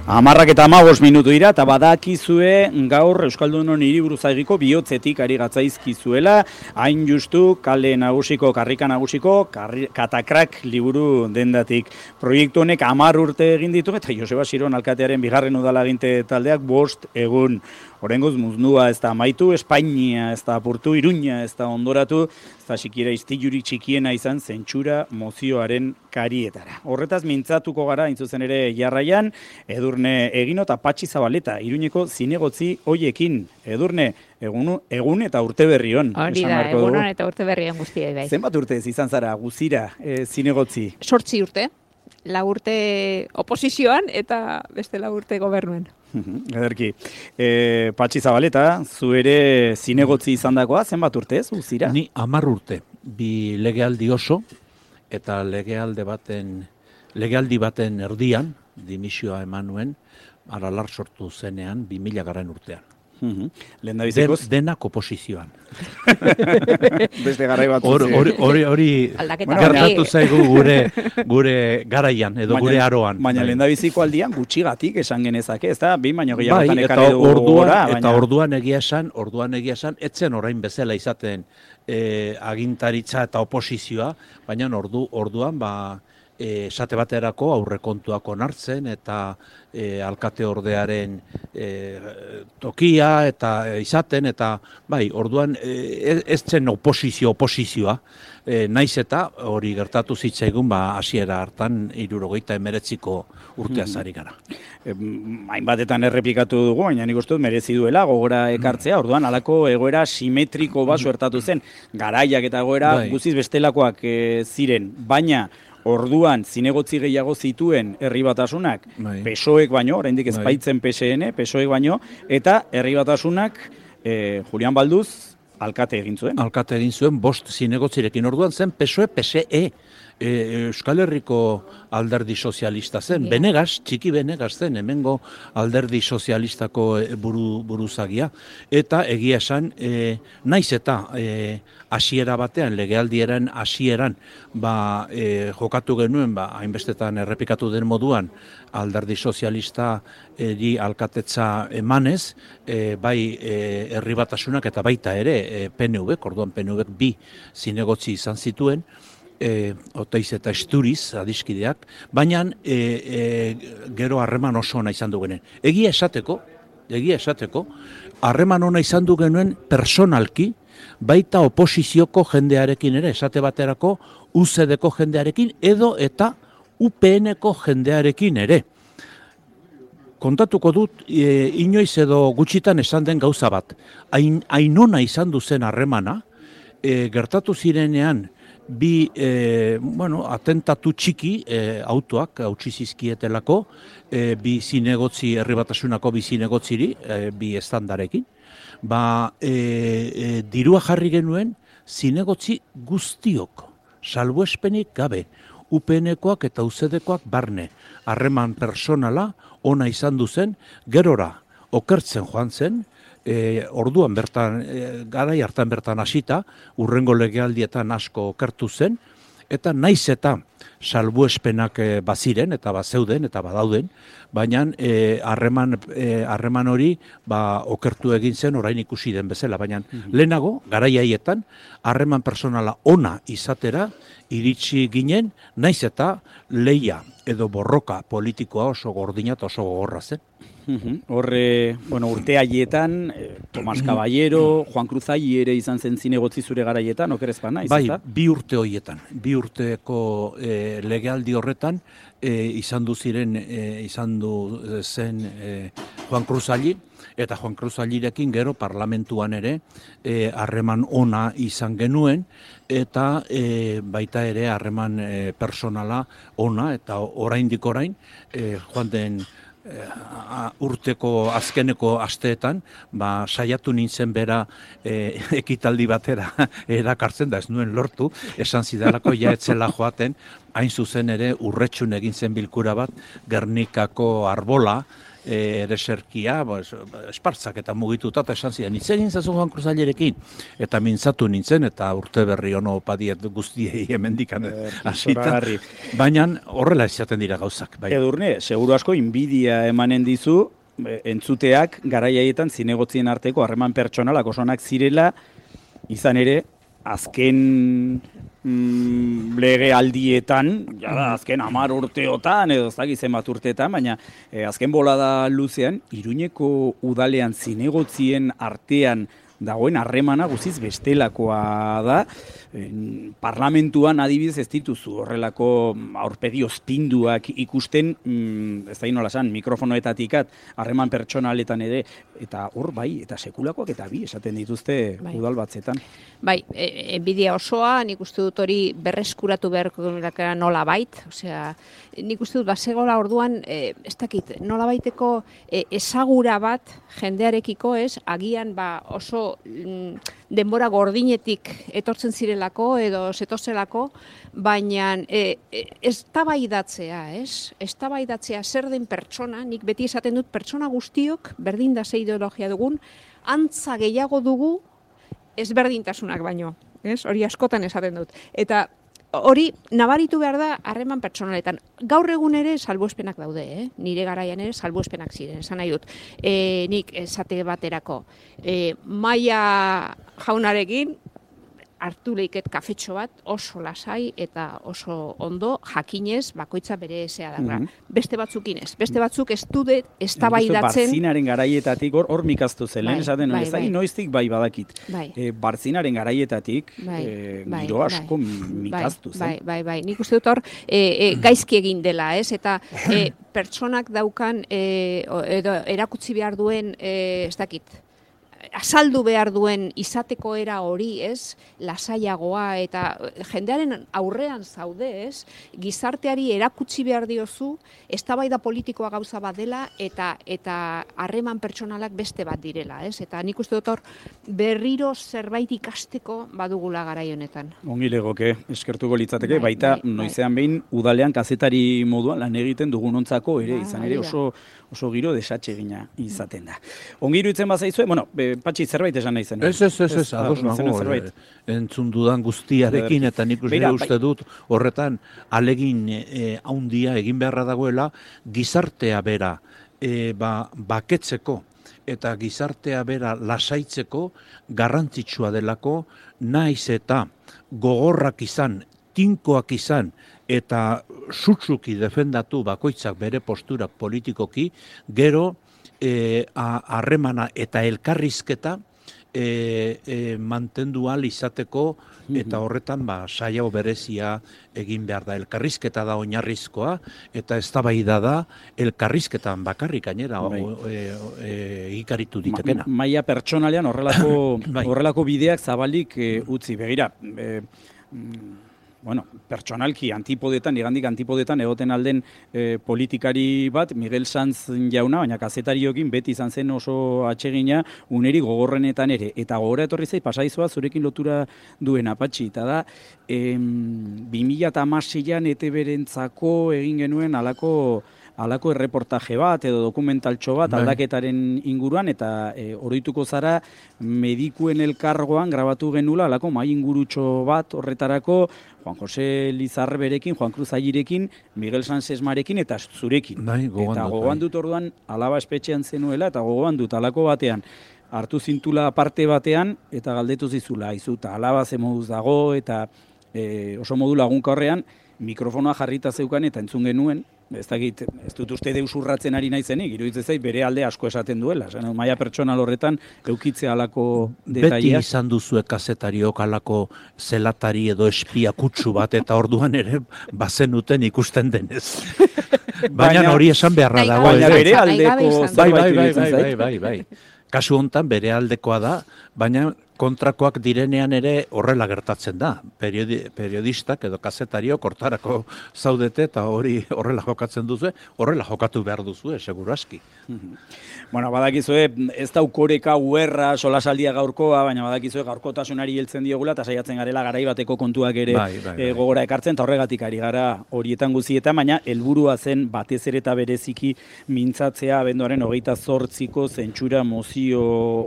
10:15 dira, eta badakizue gaur Euskaldunon hiriburuzagiko bihotzetik ari gatzaizkizuela, hain justu kale nagusiko, karrika nagusiko, katakrak liburu dendatik. Proiektu honek 10 urte egin ditu, eta Joseba Xiron alkatearen bigarren udalaginte taldeak 5 egun. Oraingoz muznua ez da amaitu, Espainia ez da apurtu, Iruña ez da ondoratu, ez da sikiera istilurik txikiena izan zentsura mozioaren karietara. Horretaz mintzatuko gara, intzuzen ere jarraian, Edurne Egino eta Patxi Zabaleta, Iruñeko zinegotzi hoiekin. Edurne, egun eta urte berrion. Hori da, egunon eta urte berrion guztiei bai. Zenbat urte izan zara guzira zinegotzi? 8 urte. 4 urte oposizioan eta beste 4 urte gobernuen. Ederki. Patxi Zabaleta, zu ere zinegotzi izan dagoa, zenbat urte ez, guzira? Ni 10 urte, bi legealdi oso, eta legealdi baten erdian, dimisioa eman nuen, aralar sortu zenean, 2000 garren urtean. Denak oposizioan. Beste garai bat. Hori gertatu zaigu gure garaian, edo gure aroan. Baina lehendabiziko aldian gutxigatik esan genezake, ez da? Bi baino gehiagotan ekarri dugu gora. Eta orduan egia esan, etzen orain bezala izaten agintaritza eta oposizioa, baina orduan esate baterako aurrekontuak onartzen eta alkate ordearen tokia eta izaten eta bai, orduan ez zen oposizioa, naiz eta hori gertatu zitzaigun hasiera hartan 79 urteaz ari gara. Hainbatetan errepikatu dugu, baina nik uste dut merezi duela gogora ekartzea, orduan halako egoera simetriko bat suertatu zen, garaiak eta egoera guztiz bestelakoak ziren, baina orduan zinegotzi gehiago zituen herri batasunak, PSOEk baino, oraindik ez baitzen PSN, PSOEk baino, eta herri batasunak Julian Balduz alkate egin zuen. Alkate egin zuen, 5 zinegotzirekin orduan zen PSOE, Euskal Herriko alderdi sozialista zen, txiki Benegas zen, hemengo alderdi sozialistako buruzagia, eta egia esan, naiz eta hasiera batean, legealdiaren hasieran, jokatu genuen, hainbestetan errepikatu den moduan, alderdi sozialista alkatetza emanez, bai herri batasunak eta baita ere PNV, orduan PNV 2 zinegotzi izan zituen, Oteiz eta Esturiz adiskideak, baina gero harreman oso ona izan du genuen. Egia esateko, harreman ona izan du genuen personalki, baita oposizioko jendearekin ere, esate baterako UCD-ko jendearekin, edo eta UPN-ko jendearekin ere. Kontatuko dut, inoiz edo gutxitan esan den gauza bat. Hain ona izan du zen harremana, gertatu zirenean, bi atentatu txiki autoak hautsi zizkietelako, bi zinegotzi herri batasunako bi zinegotziri, bi estandarekin. Dirua jarri genuen zinegotzi guztiok, salbuespenik gabe, UPN-koak eta UCD-koak barne, harreman personala ona izan duzen, gerora okertzen joan zen, orduan bertan, garai hartan bertan hasita, urrengo legealdietan asko okertu zen, eta naiz eta salbuespenak baziren, eta bazeuden, eta badauden, baina harreman hori okertu egin zen orain ikusi den bezala, baina lehenago, garai haietan, harreman personala ona izatera, iritsi ginen, naiz eta leia edo borroka politikoa oso gordina eta oso gogorra zen. Urte haietan, Tomas Caballero, Juan Cruz Ayi ere izan zen zinegotzi zure garaietan, okerez ba naiz, ezta? Bai, 2 urte horietan, 2 urteko legealdi horretan, izan du zen Juan Cruz Ayi, eta Juan Cruz Ayirekin gero parlamentuan ere harreman ona izan genuen, eta baita ere harreman personala ona, eta oraindik orain, joan den urteko azkeneko asteetan, saiatu nintzen bera ekitaldi batera erakartzen, da ez nuen lortu, esan zidalako ja etzela joaten, hain zuzen ere urretxun egin zen bilkura bat, Gernikako arbola, ereserkia, espartzak eta mugituta, eta esan zidan, itzen gintzazu Juan Cruz Ailerekin, eta mintzatu nintzen, eta urte berri ono padiet guztiei hemendikan hasita, baina horrela izaten dira gauzak. Bai. Edurne, seguru asko inbidia emanen dizu, entzuteak garaiaietan zinegotzien arteko harreman pertsonalak osonak zirela, izan ere, azken lege aldietan, azken 10 urteotan, edo ez dakit zenbat urteetan, baina azken bolada luzean, Iruñeko udalean zinegotzien artean dagoen harremana guztiz bestelakoa da. Parlamentuan adibidez ez dituzu horrelako aurpegi ozpinduak ikusten, ez da nola esan, mikrofonoetatikat, harreman pertsonaletan ere, eta hor bai, eta sekulakoak eta bi esaten dituzte udal batzetan. Bai, enbidia osoa, nik uste dut hori berreskuratu beharko nola bait, osea, nik uste dut basegola orduan, ez dakit, nola baiteko ezagura bat jendearekiko ez, agian oso denbora gordinetik etortzen zirelako edo zetozelako, baina eztabaidatzea, ez? Eztabaidatzea zer den pertsona, nik beti esaten dut pertsona guztiok, berdin da ze ideologia dugun, antza gehiago dugu ezberdintasunak baino, ez? Hori askotan esaten dut. Eta hori nabaritu behar da harreman pertsonaletan. Gaur egun ere salbuespenak daude, nire garaian ere salbuespenak ziren, esan nahi dut. Nik esate baterako, Maia jaunarekin hartu leiket kafetxo bat oso lasai eta oso ondo jakinez bakoitza bere ezea da. Beste batzukin ez. Beste batzuk ez dute eztabaidatzen. Barzinaren garaietatik hor mikaztu zen, lehen esaten noiztik bai badakit. Barzinaren garaietatik giro asko mikaztu zen. Bai. Nik uste dut hor gaizki egin dela, ez? Eta pertsonak daukan edo erakutsi behar duen, ez dakit, azaldu behar duen izateko era hori, ez, lasaiagoa eta jendearen aurrean zaude, ez, gizarteari erakutsi behar diozu, eztabaida politikoa gauza bat dela eta harreman pertsonalak beste bat direla, ez, eta nik uste dut hor berriro zerbait ikasteko badugula garai honetan. Ongi legoke, eskertuko litzateke, baita noizean behin udalean kazetari moduan lan egiten dugunontzako ere, izan ere oso giro desatsegina izaten da. Ongi iruditzen bazaizue, Patxi, zerbait esan nahi zen. Ez, ados nago, entzun dudan guztiarekin, eta nik uste dut horretan alegin haundia egin beharra dagoela, gizartea bera baketzeko eta gizartea bera lasaitzeko garrantzitsua delako, naiz eta gogorrak izan, tinkoak izan, eta sutsuki defendatu bakoitzak bere posturak politikoki, gero harremana eta elkarrizketa mantendu ahal izateko, eta horretan saio berezia egin behar da. Elkarrizketa da oinarrizkoa, eta eztabaida da elkarrizketan bakarrik gainera egikaritu ditekena. Maila pertsonalean horrelako bideak zabalik utzi. Begira, pertsonalki igandik antipodetan egoten alden politikari bat, Miguel Sanz jauna, baina kazetariokin beti izan zen oso atsegina uneri gogorrenetan ere. Eta gogora etorri zait, pasaizoa zurekin lotura duen Patxi, eta da 2016an ETB-rentzako egin genuen halako erreportaje bat edo dokumentaltxo bat aldaketaren inguruan, eta oroituko zara medikuen elkargoan grabatu genula halako mai ingurutxo bat horretarako Juan Jose Lizarberekin, Juan Cruz Ailerekin, Miguel Sanzesmarekin eta zurekin. Eta gogoan dut orduan alaba espetxean zenuela eta gogoan dut halako batean hartu zintula parte batean eta galdetu zizula, izuta alaba ze moduz dago eta oso modu lagunka horrean mikrofonoa jarrita zeukan eta entzun genuen, ez dut uste deus urratzen ari naizenik, iruditzen zait bere alde asko esaten duela. Maila pertsonal horretan eukitzea alako detaileak. Beti izan duzue kazetariok alako zelatari edo espia kutsu bat, eta orduan ere bazenuten ikusten denez. Baina hori esan beharra dago. Baina bere aldeko zerbait iruditzen zait. Bai. Kasu hontan bere aldekoa da, baina kontrakoak direnean ere horrela gertatzen da. Periodistak edo kazetariok hortarako zaudete eta hori horrela jokatzen duzu, horrela jokatu behar duzu, seguru aski. Bueno, badakizue, ez da ukoreka uerra solasaldia gaurkoa, baina badakizue gaurkotasunari heltzen diogula eta saiatzen garela garai bateko kontuak ere gogora ekartzen, eta horregatik ari gara horietan guztietan, baina helburua zen batez ere eta bereziki mintzatzea abenduaren 28ko zentsura mozio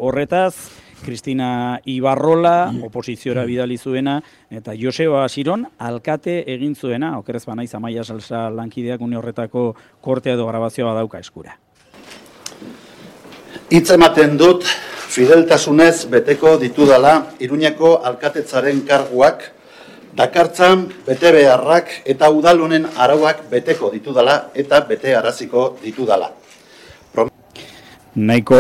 horretaz, Cristina Ibarrola, oposiziora bidali zuena, eta Joseba Asiron, alkate egin zuena, okerrez banaiz Amaia Salsa lankideak une horretako kortea edo grabazioa dauka eskura. Hitz ematen dut, fideltasunez beteko ditudala Iruñeko alkatetzaren karguak, dakartzan bete beharrak eta udalonen arauak beteko ditudala eta bete araziko ditudala. Nahiko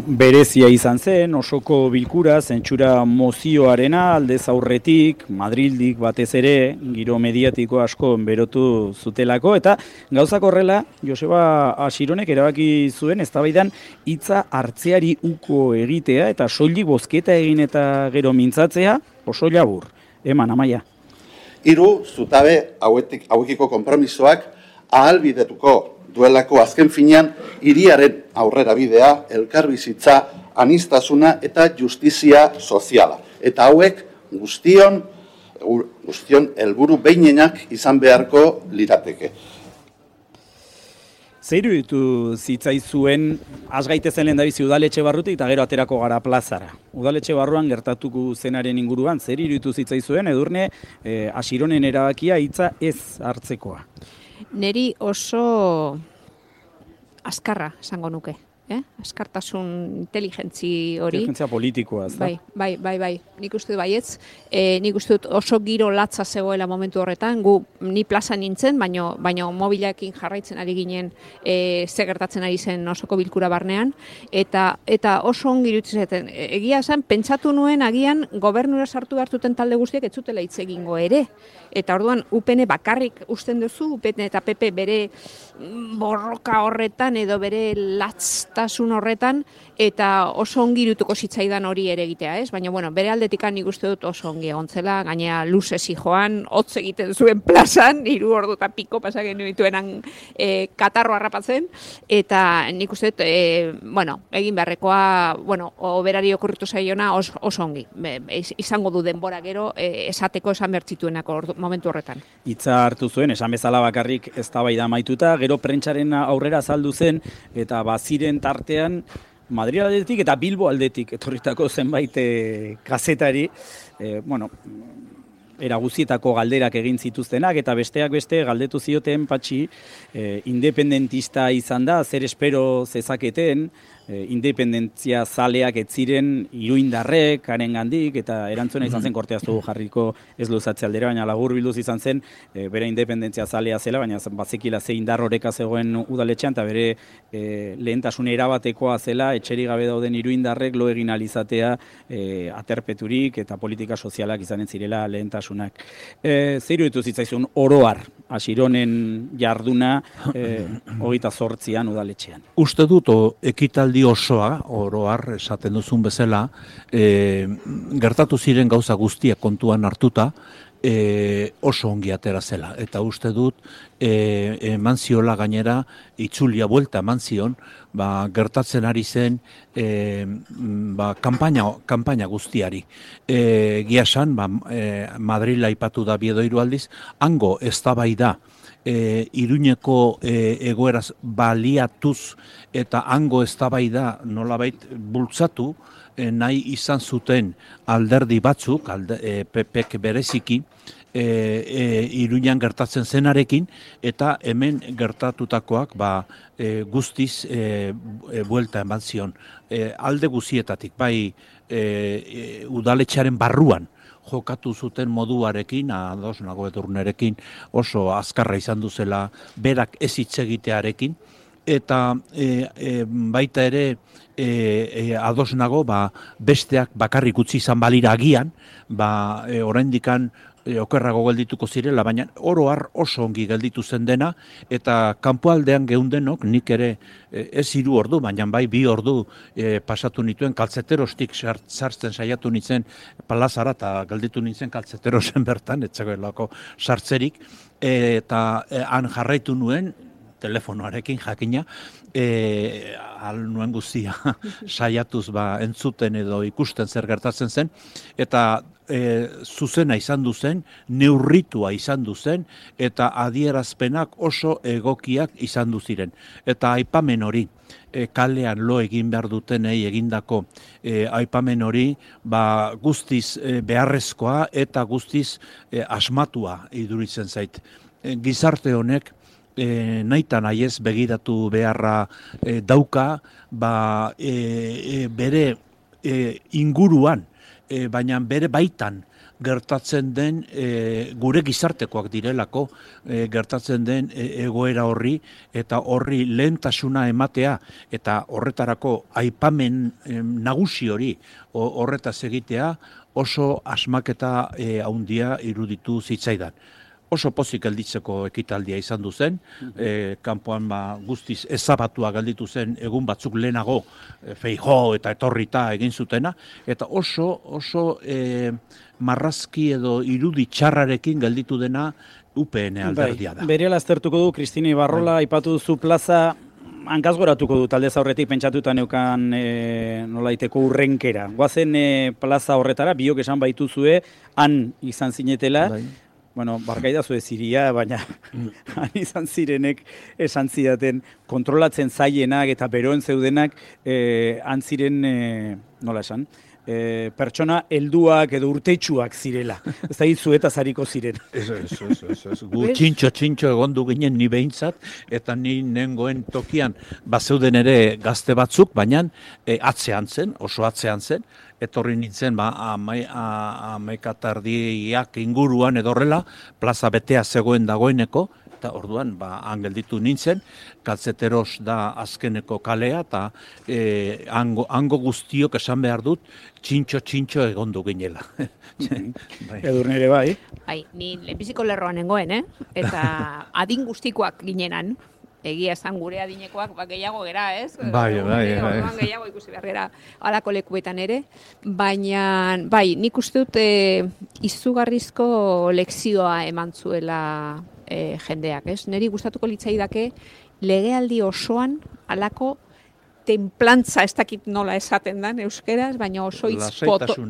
berezia izan zen, osoko bilkura, zentsura mozioarena, aldez aurretik, Madrildik batez ere, giro mediatiko asko berotu zutelako, eta gauzak horrela, Joseba Asironek erabaki zuen, eztabaidan hitza hartzeari uko egitea, eta soilik bozketa egin eta gero mintzatzea, oso labur. Eman, Amaia. 3 zutabe hauekiko konpromisoak ahalbidetuko duelako azken finean hiriaren aurrera bidea, elkarbizitza, anistasuna eta justizia soziala. Eta hauek guztion helburu behinenak izan beharko lirateke. Zer iruditu zitzaizuen, has gaitezen lehendabizi udaletxe barrutik eta gero aterako gara plazara. Udaletxe barruan gertatuko zenaren inguruan, zer iruditu zitzaizuen, Edurne, Asironen erabakia hitza ez hartzekoa? Neri oso azkarra esango nuke. Askartasun inteligentzi hori. Inteligentzia politikoa, ez da? Bai. Nik uste dut baietz. Nik uste dut oso giro latza zegoela momentu horretan. Ni plaza nintzen, baina mobilakin jarraitzen ari ginen ze gertatzen ari zen osoko bilkura barnean. Eta oso ongi iruditzen. Egia esan, pentsatu nuen agian gobernura sartu hartuten talde guztiak ez zutela hitz egingo ere. Eta orduan UPN bakarrik usten duzu, UPN eta PP bere borroka horretan edo bere latztasun horretan, eta oso ongi irutuko zitzaidan hori ere egitea, ez? Baina, bere aldetikan nik uste dut oso ongi egontzela, gainea luzezi joan, hotz egiten zuen plazan, 3 ordu eta piko pasagen dituenan katarro harrapatzen, eta nik uste dut, egin beharrekoa, oberari okurritu zaiona oso ongi. Izango du denbora gero, esateko esan bertzituenako momentu horretan. Hitza hartu zuen, esan bezala bakarrik eztabaida amaituta, gero prentsaren aurrera azaldu zen, eta baziren tartean, Madrid aldetik eta Bilbo aldetik etorritako zenbait kazetari, era guztietako galderak egin zituztenak, eta besteak beste galdetu zioten Patxi, independentista izan da, zer espero zezaketen, independentzia zaleak ez ziren iruindarrek, harengandik, eta erantzuna izan zen, korteaztu jarriko ez luzatze aldera, baina labur bilduz izan zen, bere independentzia zalea zela, baina bazekila ze indar horreka zegoen udaletxean, eta bere lehentasun erabatekoa zela, etxeri gabe dauden iruindarrek lo egin alizatea aterpeturik eta politika sozialak izanen zirela lehentasunak. Zer iruditu zitzaizun oroar, Asironen jarduna 28an udaletxean? Uste dut ekitaldi osoa, oroar esaten duzun bezala, gertatu ziren gauza guztiak kontuan hartuta, oso ongi atera zela. Eta uste dut, eman ziola gainera, itzulia buelta eman zion, gertatzen ari zen kanpaina guztiari. Giasan, Madrila aipatu da Biedo 3 aldiz, hango eztabaida Iruñeko egoeraz baliatuz eta hango eztabaida nolabait bultzatu nahi izan zuten alderdi batzuk, PPek bereziki, Iruñan gertatzen zenarekin, eta hemen gertatutakoak guztiz buelta eman zion. Alde guzietatik, bai udaletxearen barruan jokatu zuten moduarekin, ados nago Edurnerekin oso azkarra izan duzela, berak ez hitz egitearekin, eta baita ere ados nago besteak bakarrik utzi izan balira agian, oraindikan okerrago geldituko zirela, baina oro har oso ongi gelditu zen dena, eta kanpoaldean geundenok, nik ere ez 3 ordu, baina bai 2 ordu pasatu nituen, kaltzeterostik sartzen saiatu nintzen plazara, eta gelditu nintzen kaltzeterosen bertan, etzegoelako sartzerik, eta han jarraitu nuen, telefonoarekin jakina, nuen guztia saiatuz entzuten edo ikusten zer gertatzen zen, eta zuzena izan duzen, neurritua izan duzen, eta adierazpenak oso egokiak izan duziren. Eta aipamen hori, kalean lo egin behar dutenei egindako aipamen hori, guztiz beharrezkoa eta guztiz asmatua iduritzen zait. Gizarte honek, nahitan nahiez begiratu beharra dauka, bere inguruan, baina bere baitan gertatzen den gure gizartekoak direlako gertatzen den egoera horri eta horri lehentasuna ematea eta horretarako aipamen nagusi hori horretaz egitea oso asmaketa handia iruditu zitzaidan. Oso pozik gelditzeko ekitaldia izan du zen, kanpoan guztiz ezabatua gelditu zen egun batzuk lehenago Feijóo eta etorrita egin zutena, eta oso marrazki edo irudi txarrarekin gelditu dena UPN alderdia da. Berehala aztertuko du, Kristine Ibarrola, aipatu duzu plaza, hankazgoratuko du talde aurretik pentsatuta neukan nolaiteko urrenkera. Goazen plaza horretara, biok esan baituzue, han izan zinetela, bueno, barkaidazu ez iria, baina han izan zirenek esan zidaten kontrolatzen zaienak eta beroen zeudenak han ziren, nola esan, pertsona helduak edo urteitsuak zirela. Ez da zuetaz hariko ziren. Ez. Gu txintxo egondu ginen ni behintzat, eta ni nengoen tokian bazeuden ere gazte batzuk, baina oso atzean zen, etorri nintzen 11:30 inguruan edo horrela, plaza betea zegoen dagoeneko, eta orduan han gelditu nintzen, kaltzeteros da azkeneko kalea, eta hango guztiok esan behar dut, txintxo egondu ginela. Edurne ere bai. Bai, ni lehenbiziko lerroan nengoen, eta adin guztikoak ginenan. Egia esan gure adinekoak gehiago gera, ez? Bai. Gehiago ikusi behar gera halako lekuetan ere. Baina, nik uste dut izugarrizko lekzioa eman zuela jendeak, ez? Neri gustatuko litzaidake legealdi osoan halako tenplantza, ez dakit nola esaten dan euskeraz, baina oso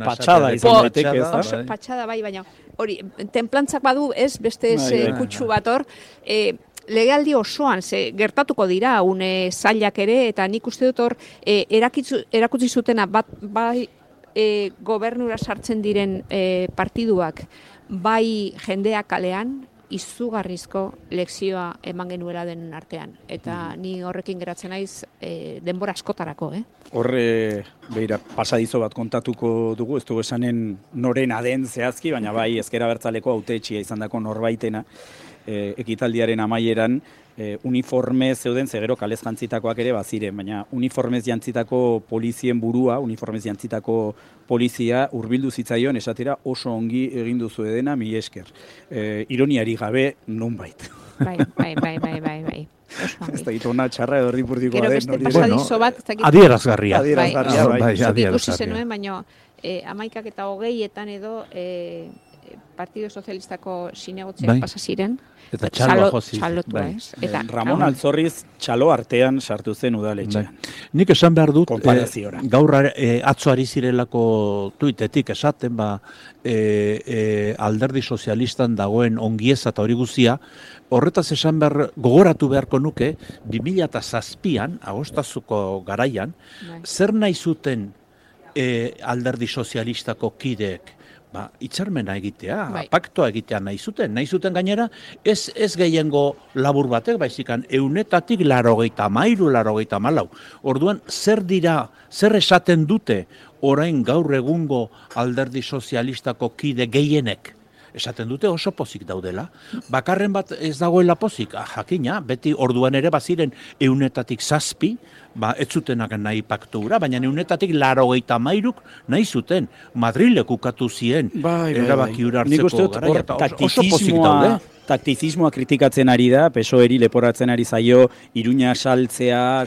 patxada izan daiteke, ez da? Patxada, baina hori, tenplantzak badu, ez? Beste kutsu bat hor, legealdi osoan gertatuko dira une zailak ere, eta nik uste dut hor erakutsi zutena bai gobernura sartzen diren partiduak, bai jendeak kalean, izugarrizko lekzioa eman genuela den artean. Eta ni horrekin geratzen naiz denbora askotarako, Horre, beira, pasadizo bat kontatuko dugu, ez dugu esanen norena den zehazki, baina bai ezker abertzaleko hautetxia izan dako norbaitena, ekitaldiaren amaieran uniformez zeuden, zegero kalez jantzitakoak ere baziren, baina uniformez jantzitako polizien burua, uniformez jantzitako polizia hurbildu zitzaion esatera oso ongi egin duzu edena, mi esker. Ironiari gabe nonbait. Bai. Ez da hitona txarra edo ripurdikoa den. Gero beste pasadizo bat. Adierazgarria. Ikusi zenuen, baina 11:20 edo Partido Sozialistako sinegotziak pasa ziren. Eta txalotua, ez? Ramon Altzorriz txalo artean sartu zen udaletxean. Nik esan behar dut, gaur atzo ari zirelako tuitetik esaten, alderdi sozialistan dagoen ongieza eta hori guzia, horretaz esan behar, gogoratu beharko nuke, 2007an, agostazuko garaian, zer nahi zuten alderdi sozialistako kideek? Itxarmena egitea, paktoa egitea nahi zuten gainera, ez gehiengo labur batek, baizikan, 100-84, Orduan, zer esaten dute orain gaur egungo alderdi sozialistako kide gehienek? esaten dute oso pozik daudela. Bakarren bat ez dagoela pozik, jakina, beti orduan ere baziren 100-7, ez zutenak nahi paktura, baina 100-83 nahi zuten. Madrilek ukatu zien erabaki hura hartzeko garaia, oso pozik daude. Taktizismoa kritikatzen ari da, PSOE-eri leporatzen ari zaio Iruña saltzea,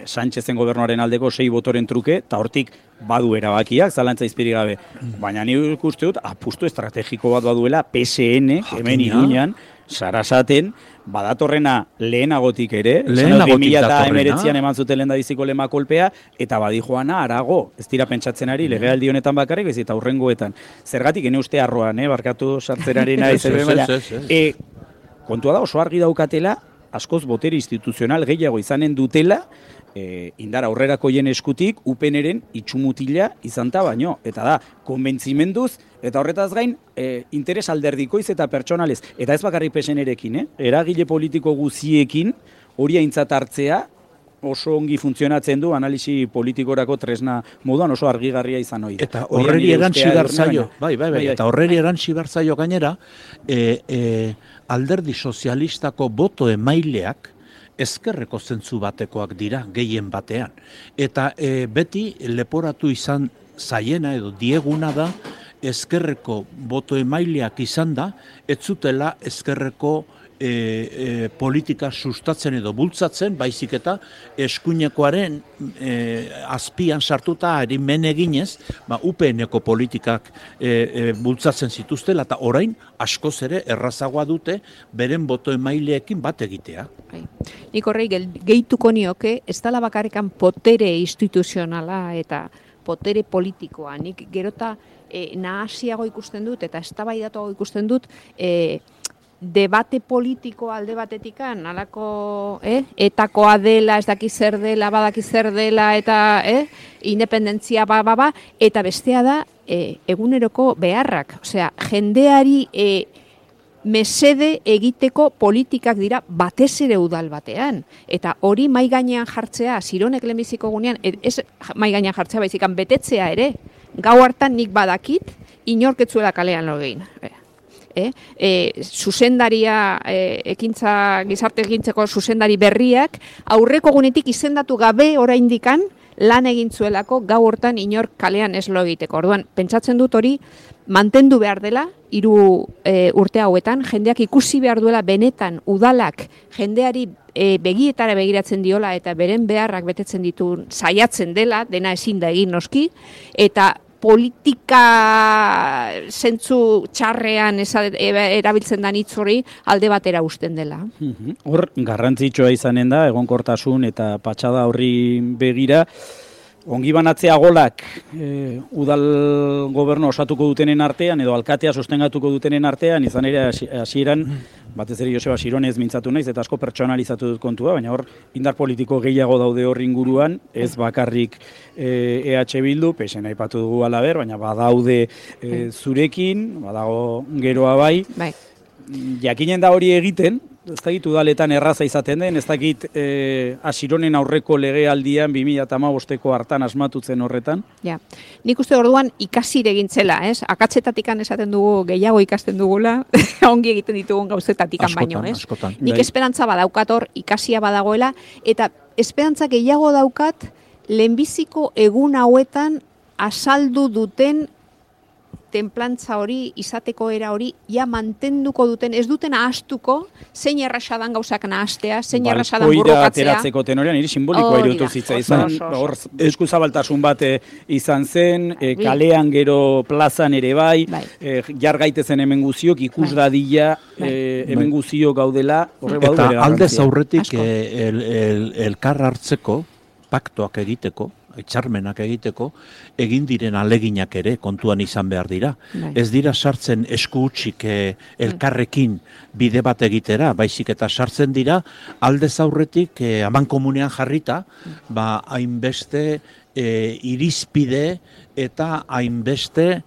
Sánchezen gobernuaren aldeko 6 botoren truke, eta hortik badu erabakiak, zalantza izpirik gabe. Baina ni uste dut, apustu estrategiko bat baduela, PSN, hemen Iruñan, Sarasaten, badatorrena lehenagotik ere, 2019an eman zuten lehendabiziko lema kolpea, eta badi joana arago, ez dira pentsatzen ari, legealdi honetan bakarrik, ez eta hurrengoetan. Zergatik, ene uste arroan, barkatu sartzeraren ari zer kontua da, oso argi daukatela, askoz botere instituzional gehiago izanen dutela, indar aurrerakoien eskutik UPNren itxumutila izanta baino. Eta da, konbentzimenduz, eta horretaz gain, interes alderdikoiz eta pertsonalez. Eta ez bakarrik PSN-erekin, eragile politiko guziekin hori aintzat hartzea oso ongi funtzionatzen du analisi politikorako tresna moduan oso argigarria izan hori. Eta horreri erantzi berzaio, eta horreri erantzi berzaio gainera, alderdi sozialistako boto emaileak ezkerreko zentzu batekoak dira, gehien batean. Eta beti leporatu izan zaiena edo dieguna da, ezkerreko boto emaileak izan da, ez zutela ezkerreko politika sustatzen edo bultzatzen, baizik eta eskuinekoaren azpian sartuta men eginez, UPN-eko politikak bultzatzen zituztela, eta orain askoz ere errazagoa dute beren boto emaileekin bat egitea. Nik horrei gehituko nioke, ez dela bakarrikan potere instituzionala eta potere politikoa. Nik gerota nahasiago ikusten dut eta eztabaidatuago ikusten dut debate politiko alde batetikan, alako etakoa dela, ez daki zer dela, badaki zer dela, eta independentzia eta bestea da eguneroko beharrak. Osea, jendeari mesede egiteko politikak dira batez ere udal batean. Eta hori mai gainean jartzea, Sironek lehenbiziko gunean, ez mai gainean jartzea, baizikan betetzea ere, gau hartan nik badakit, inorketzuela kalean logein. Zuzendaria, gizarte ekintzeko zuzendari berriak, aurreko gunetik izendatu gabe oraindikan lan egintzuelako gau hortan inor kalean ez lo egiteko. Orduan, pentsatzen dut hori mantendu behar dela, 3 urte hauetan, jendeak ikusi behar duela benetan udalak jendeari begietara begiratzen diola eta beren beharrak betetzen ditu saiatzen dela, dena ezin da egin noski, eta politika zentzu txarrean erabiltzen da hitz hori alde batera uzten dela. Hor, garrantzitsua izanen da, egonkortasun eta patxada horri begira, ongi banatzea golak udal gobernu osatuko dutenen artean, edo alkatea sostengatuko dutenen artean, izan ere hasieran, batez ere Joseba Sironez mintzatu naiz, eta asko pertsonalizatu dut kontua, baina hor indar politiko gehiago daude hor inguruan, ez bakarrik EH Bildu, PSN aipatu dugu alaber, baina badaude zurekin, badago geroa bai. Jakinen da hori egiten, ez dakit udaletan erraza izaten den, ez dakit Asironen aurreko legealdian 2015ko hartan asmatutzen horretan. Ja, nik uste orduan ikasire egintzela, ez? Akatzetatikan esaten dugu gehiago ikasten dugula, ongi egiten ditugun gauzetatikan baino, ez? Nik esperantza badaukator, ikasia badagoela, eta esperantza gehiago daukat lehenbiziko egun hauetan azaldu duten tenplantza hori, izateko era hori, ja mantenduko duten, ez duten ahastuko, zein errasadan gauzak nahastea, zein errasadan burrukatzea. Balkoira ateratzeko tenorean, hiri simbolikoa irutu zitza izan, hor eskuzabaltasun bat izan zen, kalean gero plazan ere bai, jar gaitezen hemen guziok, ikus dadila hemen guziok gaudela, horre badu bere garrantzia. Eta aldez aurretik elkar hartzeko, paktoak egiteko, etxarmenak egiteko, egin diren aleginak ere kontuan izan behar dira. Ez dira sartzen esku hutsik elkarrekin bide bat egitera, baizik eta sartzen dira aldez aurretik amankomunean jarrita, hainbeste irizpide eta hainbeste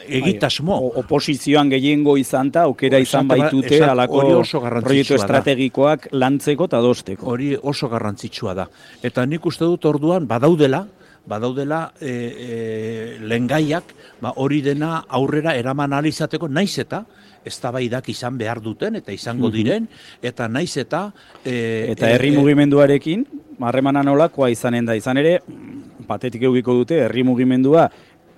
egitasmo. Oposizioan gehiengo izanta, aukera izan baitute alako proiektu estrategikoak lantzeko eta dosteko. Hori oso garrantzitsua da. Eta nik uste dut orduan badaudela, badaudela lehengaiak hori dena aurrera eraman ahal izateko, naiz eta eztabaidak izan behar duten eta izango diren, eta naiz eta... Eta herri mugimenduarekin, harremana nolakoa izanen da, izan ere, patetik eukiko dute, herri mugimendua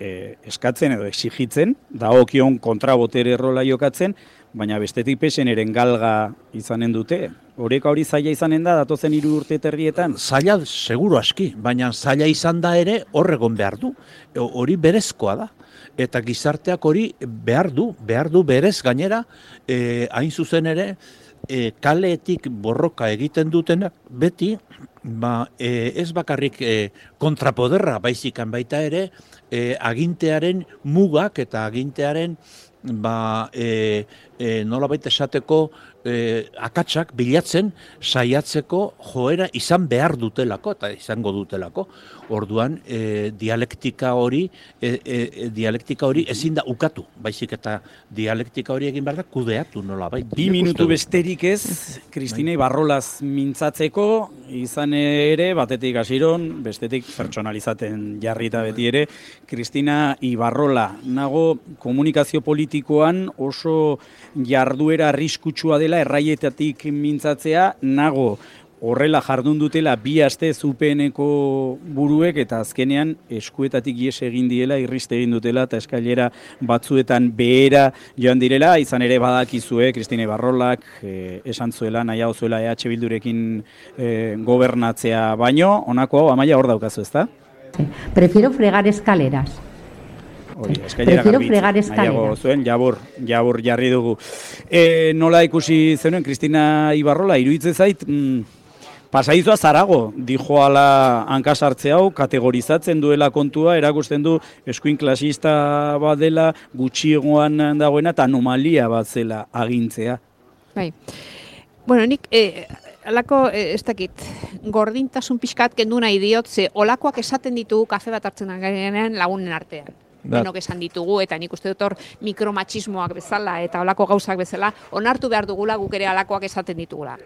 eskatzen edo exigitzen, dagokion kontrabotere rola jokatzen, baina bestetik PSNren galga izanen dute. Oreka hori zaila izanen da, datozen 3 urte terrietan? Zaila, seguru aski, baina zaila izan da ere horregon behar du. Hori berezkoa da. Eta gizarteak hori behar du berez gainera, hain zuzen ere, kaleetik borroka egiten dutena, beti, ez bakarrik kontrapoderra baizikan baita ere, agintearen mugak eta agintearen nolabait esateko akatsak bilatzen saiatzeko joera izan behar dutelako eta izango dutelako. Orduan dialektika hori ezin da ukatu, baizik eta dialektika hori egin behar da kudeatu nolabait. 2 minutu besterik ez, Kristina Ibarrolaz mintzatzeko, izan ere batetik hasiron, bestetik pertsonalizaten jarrita beti ere, Kristina Ibarrola, nago komunikazio politikoan oso jarduera arriskutsua dela erraietatik mintzatzea, nago horrela jardun dutela 2 aste UPNeko buruek eta azkenean eskuetatik ihes egin diela, irriste egin dutela eta eskailera batzuetan behera joan direla, izan ere badakizue Kristina Ibarrolak esan zuela, nahiago zuela EH Bildurekin gobernatzea baino, honako hau Amaia hor daukazu, ezta? Prefiero fregar escaleras. Prefiero fregar escaleras. Zuen, jabur jarri dugu. Nola ikusi zenuen, Kristina Ibarrola, iruditzen zait, pasaizua zarago, dijoala hankasartze hau, kategorizatzen duela kontua, erakusten du eskuin klasista bat dela, gutxiagoan dagoena, eta anomalia bat zela agintzea. Bai. Bueno, nik... Alako, ez dakit, gordintasun pixkat kendu nahi diot, ze olakoak esaten ditugu kafe bat hartzen garenean lagunen artean. Denok esan ditugu, eta nik uste dut hor mikromatxismoak bezala eta olako gauzak bezala, onartu behar dugula guk ere alakoak esaten ditugula.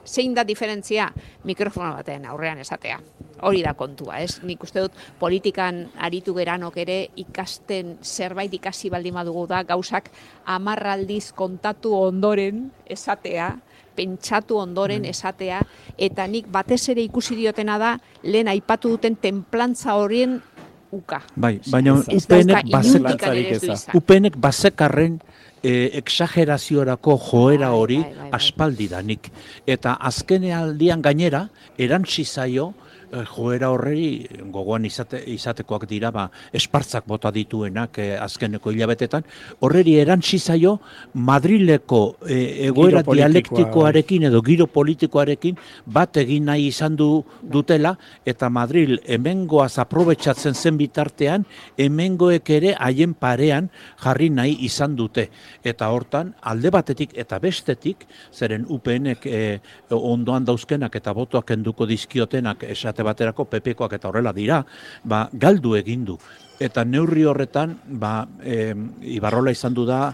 Zein da diferentzia? Mikrofono baten aurrean esatea. Hori da kontua, ez? Nik uste dut politikan aritu geranok ere ikasten zerbait ikasi baldin badugu da, gauzak 10 aldiz kontatu ondoren esatea, pentsatu ondoren esatea, eta nik batez ere ikusi diotena da, lehen aipatu duten tenplantza horien uka. Bai, baina UPNek bazekarren exageraziorako joera hori aspaldidanik. Eta azkenaldian gainera, erantsi zaio, joera horrei gogoan izatekoak dira, espartzak bota dituenak azkeneko hilabetetan, horreri erantsi zaio Madrileko egoera dialektikoarekin edo giro politikoarekin bat egin nahi izan dutela, eta Madril hemengoaz aprobetxatzen zen bitartean, hemengoek ere haien parean jarri nahi izan dute. Eta hortan, alde batetik eta bestetik, zeren UPNek ondoan dauzkenak eta botoak enduko dizkiotenak esate baterako PPkoak eta horrela dira, galdu egin du. Eta neurri horretan, Ibarrola izan du da,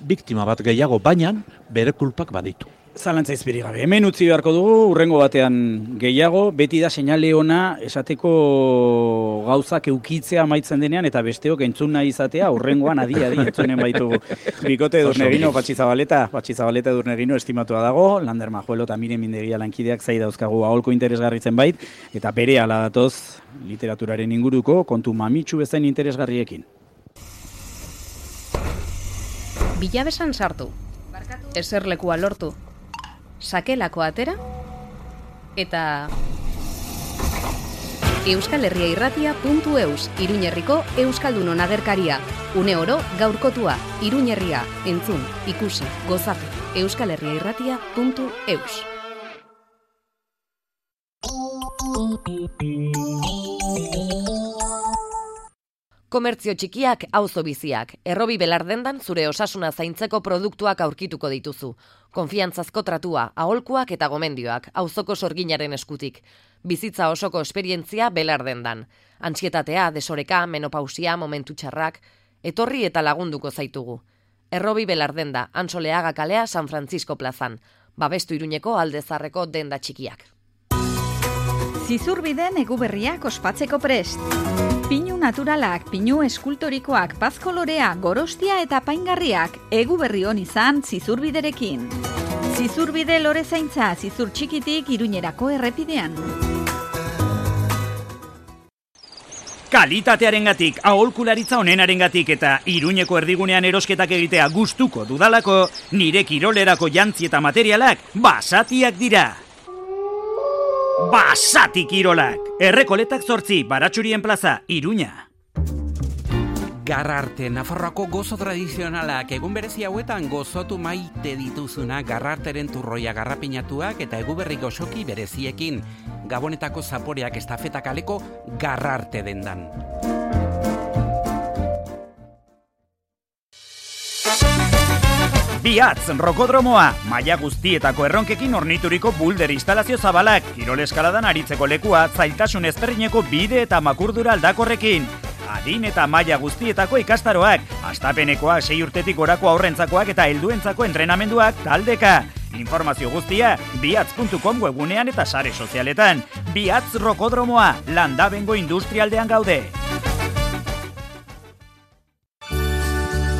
biktima bat gehiago, baina bere kulpak baditu. Zalantza izpiri gabe. Hemen utzi beharko dugu, urrengo batean gehiago, beti da seinale ona esateko gauzak eukitzea amaitzen denean, eta besteok entzun nahi izatea, urrengoan adi entzunen baitu. Bikote Edurnegino, Patxi Zabaleta Edurnegino estimatua dago, Lander Majuelo eta Miren Mindegia lankideak zai dauzkagu aholko interesgarritzen bait, eta bere ala datoz literaturaren inguruko kontu mamitsu bezain interesgarriekin. Bilabesan sartu, eserlekua lortu, sakelako atera, eta euskalherriairratia.eus, Iruñerriko Euskaldunon agerkaria. Une oro gaurkotua, Iruñerria, entzun, ikusi, gozatu, euskalherriairratia.eus. Komertzio txikiak, auzo biziak. Errobi belardendan zure osasuna zaintzeko produktuak aurkituko dituzu. Konfiantzazko tratua, aholkuak eta gomendioak, auzoko sorginaren eskutik. Bizitza osoko esperientzia belardendan. Antsietatea, desoreka, menopausia, momentu txarrak, etorri eta lagunduko zaitugu. Errobi belardenda, Antsoleaga kalea, San Francisco plazan. Babestu Iruñeko Alde Zaharreko denda txikiak. Zizurbiden eguberriak ospatzeko prest. Pinu naturalak, pinu eskultorikoak, pazkolorea, gorostia eta paingarriak, eguberri hon izan Zizurbiderekin. Zizurbide lorezaintza, Zizur txikitik Iruñerako errepidean. Kalitatearengatik, aholkularitza onenarengatik eta Iruñeko erdigunean erosketak egitea gustuko dudalako, nire kirolerako jantzi eta materialak Basatiak dira. Basati kirolak! Errekoletak 8, Baratxurien plaza, Iruña. Garrarte, Nafarroako gozo tradizionalak, egun berezi hauetan gozotu maite dituzuna Garrarteren turroia garrapinatuak eta eguberri goxoki bereziekin. Gabonetako zaporeak estafeta kaleko Garrarte dendan. Biatz, rokodromoa, maila guztietako erronkekin ornituriko bulder instalazio zabalak, kirol eskaladan aritzeko lekua, zailtasun ezberdineko bide eta makurdura aldakorrekin. Adin eta maila guztietako ikastaroak, hastapenekoa 6 urtetik gorako aurrentzakoak eta helduentzako entrenamenduak taldeka. Informazio guztia, biatz.com webunean eta sare sozialetan. Biatz rokodromoa, Landabengo industrialdean gaude.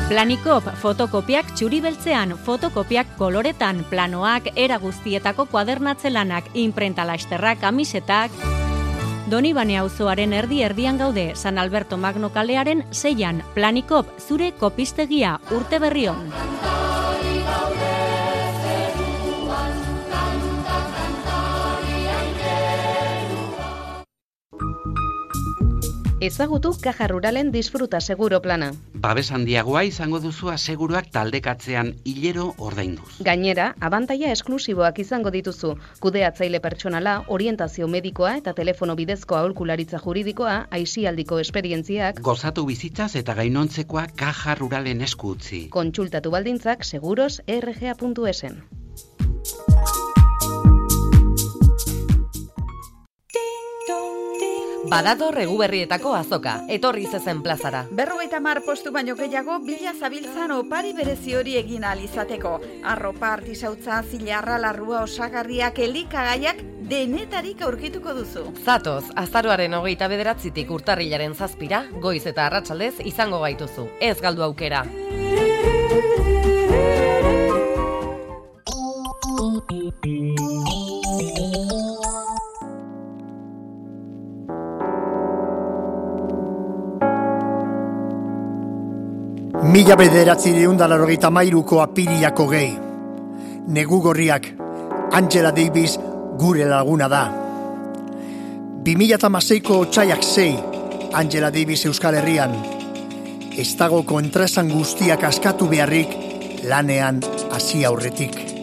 Planikop fotokopiak txuri beltzean, fotokopiak koloretan, planoak, era guztietako kuadernatzelanak, inprenta lasterrak, kamisetak. Donibane auzoaren erdi-erdian gaude, San Alberto Magno kalearen 6an, Planikop, zure kopistegia, urte berrion. Ezagutu Caja Ruralen disfruta seguro plana. Babes handiagoa izango duzu aseguruak taldekatzean hilero ordainduz. Gainera, abantaila esklusiboak izango dituzu. Kudeatzaile pertsonala, orientazio medikoa eta telefono bidezko aholkularitza juridikoa, aisialdiko esperientziak. Gozatu bizitzaz eta gainontzekoa Caja Ruralen esku utzi. Kontsultatu baldintzak seguros.rga.esen. Badator eguberrietako azoka, etorri zezen plazara. 50 postu baino gehiago bila zabiltzan opari berezi hori egin alizateko. Arropa, artisautza, zilarra, larrua, osagarriak, elikagaiak denetarik aurkituko duzu. Zatoz, azaroaren 29tik urtarrilaren 7 goiz eta arratsaldez izango gaituzu. Ez galdu aukera. Mila 1983ko apiriako gehi. Negu gorriak, Angela Davis gure laguna da. 2016ko otsaiak 6, Angela Davis Euskal Herrian. Ez dago kontraesan guztiak askatu beharrik lanean hasi aurretik.